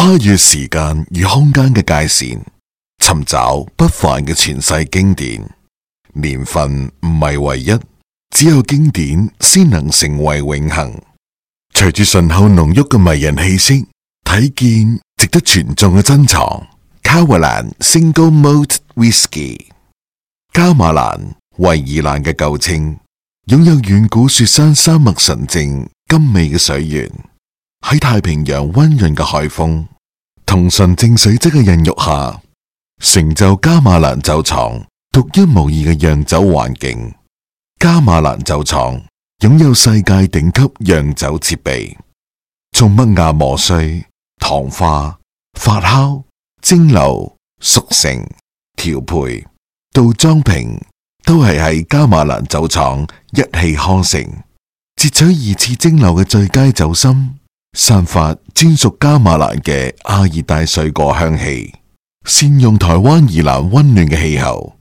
跨越時間與空間嘅界線，尋找不凡嘅傳世經典。年份唔係唯一，只有經典先能成為永恆。隨住醇厚濃郁嘅迷人氣息，睇見值得傳頌嘅珍藏。卡華蘭 Single Malt Whisky， 加馬蘭維爾蘭嘅舊稱，擁有遠古雪山山脈純正甘美嘅水源。喺太平洋溫潤嘅海風同純正水質嘅孕育下，成就加馬蘭酒廠獨一無二嘅釀酒環境。加馬蘭酒廠擁有世界頂級釀酒設備，從麥芽磨碎、糖化、發酵、蒸餾、熟成、調配到裝瓶，都係喺加馬蘭酒廠一氣呵成。截取二次蒸餾嘅最佳酒心，散發專屬加馬蘭嘅亞熱帶水果香氣，善用台灣宜蘭溫暖嘅氣候，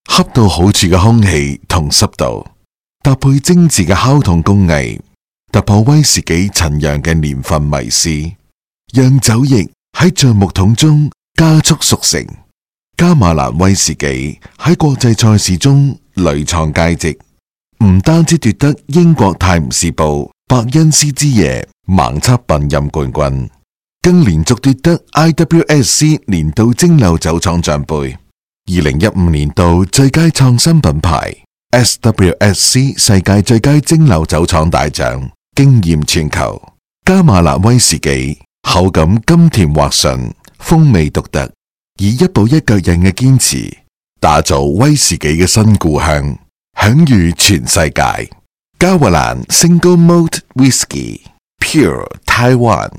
恰到好處嘅空氣同濕度，搭配精緻嘅烤桶工藝，突破威士忌陳釀嘅年份迷思，讓酒液喺橡木桶中加速熟成。加馬蘭威士忌喺國際賽事中屢創佳績，唔單止奪得英國泰晤士報伯恩斯之夜盲測品飲冠軍，更連續奪得 IWSC 年度蒸餾酒廠獎杯、2015年度最佳創新品牌、SWSC 世界最佳蒸餾酒廠大獎，驚艷全球。加馬蘭威士忌口感甘甜滑順，風味獨特，以一步一腳印嘅堅持，打造威士忌嘅新故鄉，享譽全世界。加華蘭 Single Malt Whisky Pure Taiwan。